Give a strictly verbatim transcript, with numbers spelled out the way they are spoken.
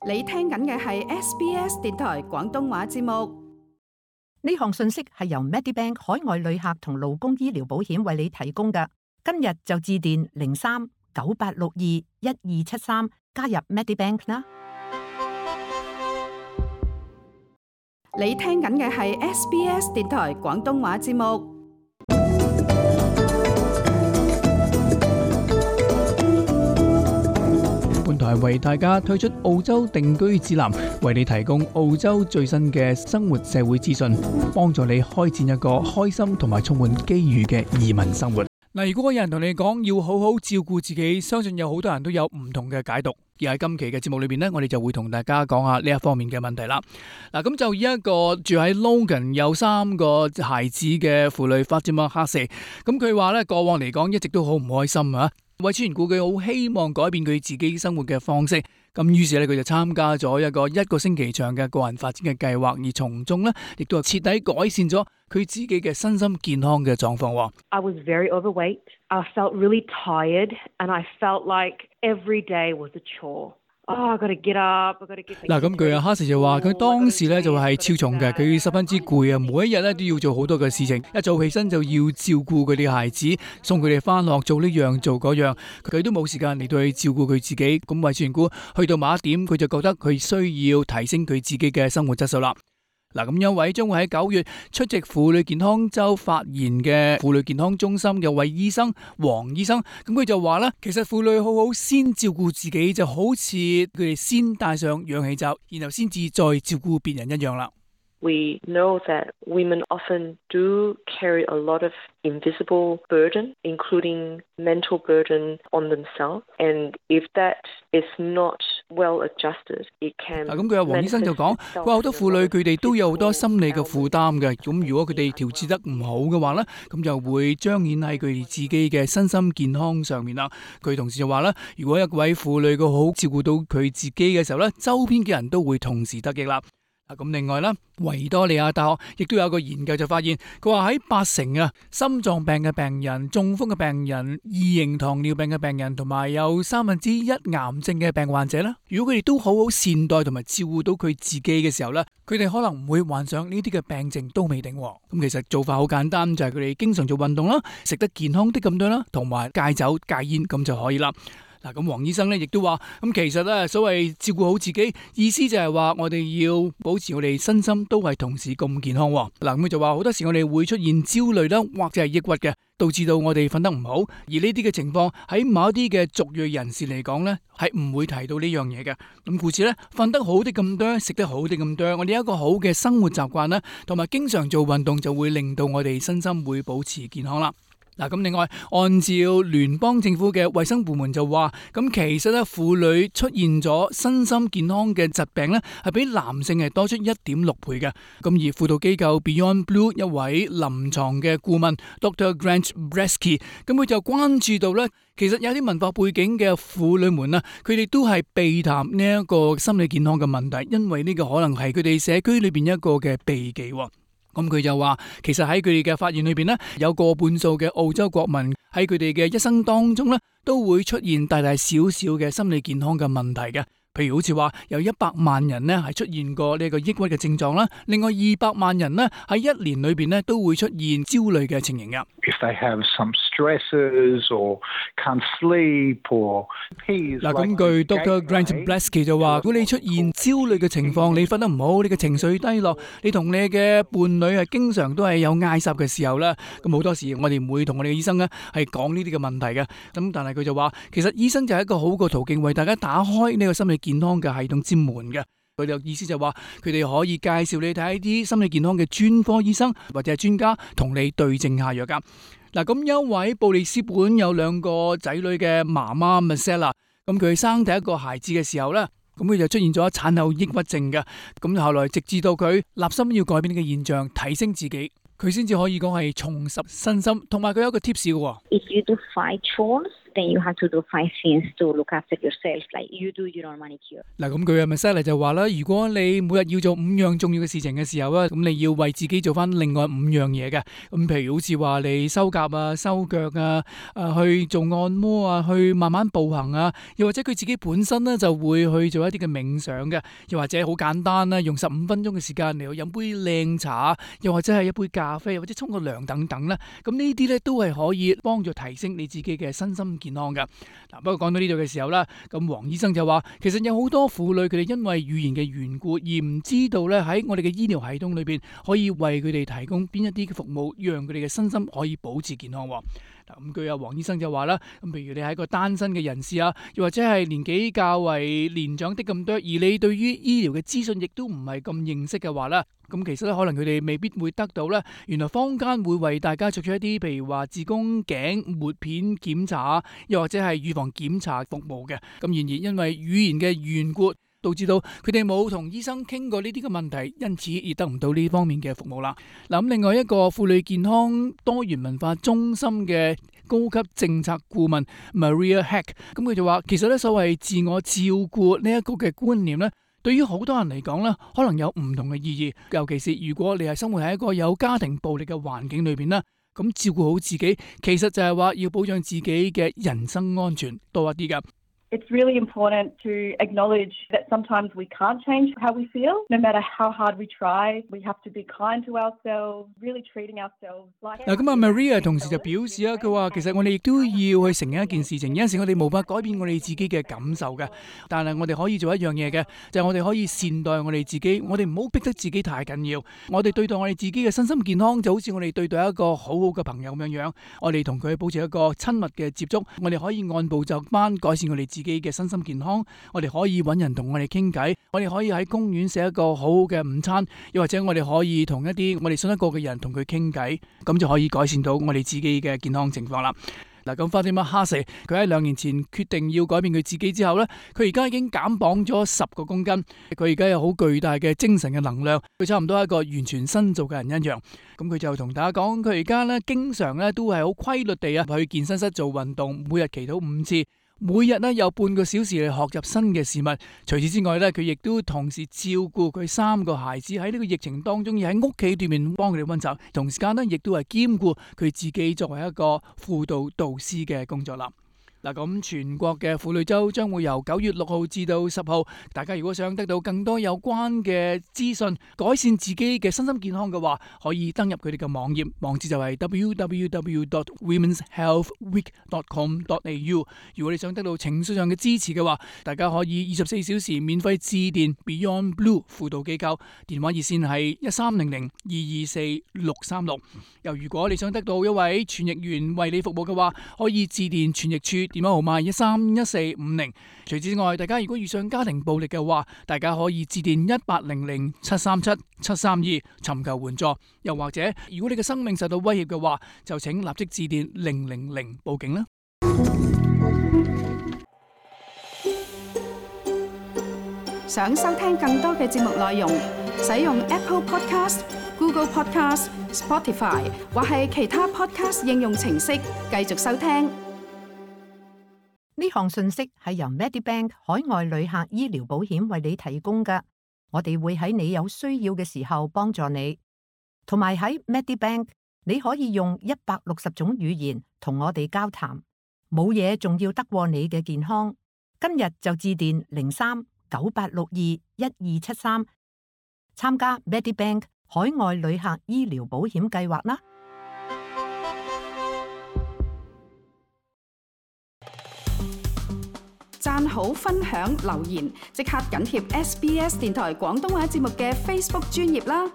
你聽緊嘅係 S B S 電台廣東話節目。呢項信息係由 Medibank 海外旅客同勞工醫療保險為你提供嘅。今日就致電零三九八六二一二七三加入 Medibank 啦。你聽緊嘅係 S B S 電台廣東話節目。本台為大家推出澳洲定居指南，為你提供澳洲最新嘅生活社會資訊，幫助你開展一個開心同埋充滿機遇嘅移民生活。嗱，如果有人同你講要好好照顧自己，相信有好多人都有唔同嘅解讀。而喺今期嘅節目裏邊呢，我哋就會同大家講下呢一方面嘅問題啦。嗱，咁就以一個住喺 Logan 有三個孩子嘅婦女發展麥克士，咁佢話呢，過往嚟講一直都好唔開心啊。為此緣故，佢好希望改變佢自己生活嘅方式，咁於是咧佢就參加咗一個一個星期長嘅個人發展嘅計劃，而從中咧亦都係徹底改善咗佢自己嘅身心健康嘅狀況。I was very overweight. I felt really tired, and I felt like every day was a chore. Oh, I got to get up. I got to get. 嗱，咁佢阿哈士就話佢當時咧就係超重嘅，佢十分之攰啊，每一日咧都要做好多嘅事情，一早起身就要照顧佢哋孩子，送佢哋翻學，做呢樣做嗰樣，佢都冇時間嚟到去照顧佢自己。咁為此緣故，去到某一點，佢就覺得佢需要提升佢自己嘅生活質素啦。嗱，咁有位將會喺九月出席婦女健康週發言嘅婦女健康中心嘅位醫生黃醫生，咁佢就話咧，其實婦女好好先照顧自己，就好似佢哋先戴上氧氣罩，然後先至再照顧別人一樣啦。We know that women often do carry a lot of invisible burden, including mental burden on themselves. And if that is not well adjusted, it can. 咁佢阿黃醫生就講，佢話好多婦女佢哋都有好多心理嘅負擔嘅。咁如果佢哋調節得唔好嘅話咧，咁就會彰顯喺佢哋自己嘅身心健康上面啦。佢同時就話咧，如果一位婦女佢好照顧到佢自己嘅時候咧，周邊嘅人都會同時得益啦。咁另外啦，維多利亞大學亦都有個研究就發現，佢話喺八成啊心臟病嘅病人、中風嘅病人、二型糖尿病嘅病人，同埋有三分之一癌症嘅病患者啦，如果佢哋都好好善待同埋照顧到佢自己嘅時候咧，佢哋可能唔會患上呢啲嘅病症都未定。咁其實做法好簡單，就係佢哋經常做運動啦，食得健康啲咁多啦，同埋戒酒戒煙咁就可以啦。嗱，咁黃醫生咧亦都話，咁其實咧所謂照顧好自己，意思就係話我哋要保持我哋身心都係同時咁健康。嗱，咁佢就話好多時我哋會出現焦慮啦，或者係抑鬱嘅，導致到我哋瞓得唔好。而呢啲嘅情況喺某一啲嘅族裔人士嚟講咧，係唔會提到呢樣嘢嘅。咁故此咧，瞓得好啲咁多，食得好啲咁多，我哋有一個好嘅生活習慣啦，同埋經常做運動，就會令到我哋身心會保持健康啦。嗱，咁另外，按照聯邦政府嘅衛生部門就話，咁其實咧婦女出現咗身心健康嘅疾病咧，係比男性係多出一點六倍嘅。咁而輔導機構 Beyond Blue 一位臨床嘅顧問 Doctor Grant Bresky， 咁佢就關注到咧，其實有啲文化背景嘅婦女們啊，佢哋都係避談呢一個心理健康嘅問題，因為呢個可能係佢哋社區裏邊一個嘅避忌。咁佢就話，其實喺佢哋嘅發現裏邊咧，有過半數嘅澳洲國民喺佢哋嘅一生當中咧，都會出現大大小小嘅心理健康嘅問題嘅。譬如好似話有一百萬人咧係出現過呢個抑鬱嘅症狀啦，另外二百萬人咧喺一年裏邊咧都會出現焦慮嘅情形嘅。If they have some stresses or can't sleep or peace。嗱，咁據 Doctor Grant Bresky 就話，如果你出現焦慮嘅情況，你瞓得唔好，你嘅情緒低落，你同你嘅伴侶係經常都係有嗌霎嘅時候咧，咁好多時我哋唔會同我哋嘅醫生咧係講呢啲嘅問題嘅。咁但係佢就話，其實醫生就係一個好嘅途徑，為大家打開呢個心理健康嘅系統之門嘅。佢哋意思就話，佢哋可以介紹你睇一啲心理健康嘅專科醫生或者係專家，同你對症下藥噶。嗱，咁一位布里斯本有兩個仔女嘅媽媽 Marcella， 咁佢生第一個孩子嘅時候咧，咁佢就出現咗產後抑鬱症嘅。咁後來直至到佢立心要改變呢個現象，提升自己，佢先至可以講係重拾身心。同埋佢有一個 tips 嘅。If you do five chores then you have to do five things to look after yourself, like you do your own manicure. 嗱，咁佢嘅 Michelle 就話啦，如果你每日要做五樣重要嘅事情嘅時候啊，咁你要為自己做翻另外五樣嘢嘅。咁譬如好似話你修甲啊、修腳啊、誒去做按摩啊、去慢慢步行啊，又或者佢自己本身咧就會去做一啲嘅冥想嘅，又或者好簡單啦，用十五分鐘嘅時間嚟去飲杯靚茶，又或者係一杯咖啡，或者沖個涼等等啦。咁呢啲咧都係可以幫助提升你自己嘅身心健康嘅。嗱，不過講到呢度嘅時候啦，咁黃醫生就話，其實有好多婦女佢哋因為語言嘅緣故而唔知道咧喺我哋嘅醫療系統裏邊可以為佢哋提供邊一啲嘅服務，讓佢哋嘅身心可以保持健康。嗱，咁據阿黃醫生就話啦，咁譬如你係一個單身嘅人士啊，又或者係年紀較為年長的咁多，而你對於醫療嘅資訊亦都唔係咁認識嘅話啦，咁其實咧可能佢哋未必會得到咧，原來坊間會為大家作出一啲譬如話子宮頸抹片檢查，又或者係預防檢查服務嘅。咁然而因為語言嘅緣故，導致到佢哋冇同醫生傾過呢啲嘅問題，因此而得唔到呢方面嘅服務啦。嗱，咁另外一個婦女健康多元文化中心嘅高級政策顧問 Maria Heck， 咁佢就話，其實咧所謂自我照顧呢一個嘅觀念咧，對於好多人嚟講咧，可能有唔同嘅意義，尤其是如果你係生活喺一個有家庭暴力嘅環境裏邊啦，咁照顧好自己，其實就係話要保障自己嘅人身安全多一啲噶。It's really important to acknowledge that sometimes we can't change how we feel. No matter how hard we try, we have to be kind to ourselves, really treating ourselves like... 嗱，咁啊 Maria 同時就表示啊，佢話其實我哋亦都要去承認一件事情，有陣時我哋無法改變我哋自己嘅感受嘅，但係我哋可以做一樣嘢嘅，就係我哋可以善待我哋自己，我哋唔好逼得自己太緊要，我哋對待我哋自己嘅身心健康就好似我哋對待一個好好嘅朋友咁樣樣，我哋同佢保持一個親密嘅接觸，我哋可以按部就班改善我哋自己嘅身心健康，我哋可以揾人同我哋傾偈，我哋可以喺公園食一個好好嘅午餐，又或者我哋可以同一啲我哋信得過嘅人同佢傾偈，咁就可以改善到我哋自己嘅健康情況啦。嗱，咁 Fatima Hassan 佢喺兩年前決定要改變佢自己之後咧，佢而家已經減磅咗十個公斤，佢而家有好巨大嘅精神嘅能量，佢差唔多係一個完全新造嘅人一樣。咁佢就同大家講，佢而家咧經常咧都係好規律地啊去健身室做運動，每日祈禱五次。每日咧有半個小時嚟學習新嘅事物。除此之外咧，佢亦都同時照顧佢三個孩子喺呢個疫情當中，要喺屋企裏面幫佢哋溫習，同時間咧亦都係兼顧佢自己作為一個輔導導師嘅工作啦。嗱，咁全國嘅婦女週將會由九月六號至到十號，大家如果想得到更多有關嘅資訊，改善自己嘅身心健康嘅話，可以登入佢哋嘅網頁，網址就係 w w w dot women's health week dot com dot a u。如果你想得到情緒上嘅支持嘅話，大家可以二十四小時免費致電 Beyond Blue 輔導機構，電話熱線係一三零零二二四六三六。又如果你想得到一位傳譯員為你服務嘅話，可以致電傳譯處。電話號碼一三一四五零。除此之外，大家如果遇上家庭暴力嘅話，大家可以致電一八零零七三七七三二尋求援助。又或者，如果你嘅生命受到威脅嘅話，就請立即致電零零零報警啦。想收聽更多嘅節目內容，使用 Apple Podcast、Google Podcast、Spotify 或係其他 Podcast 應用程式繼續收聽。呢項信息係由 Medibank 海外旅客醫療保險為你提供嘅，我哋會喺你有需要嘅時候幫助你。同埋喺 Medibank， 你可以用一百六十種語言同我哋交談，冇嘢仲要得過你嘅健康。今日就致電零三九八六二一二七三，參加 Medibank 海外旅客醫療保險計劃啦。讚好、分享、留言，即刻緊貼 S B S 電台廣東話節目嘅 Facebook 專頁啦！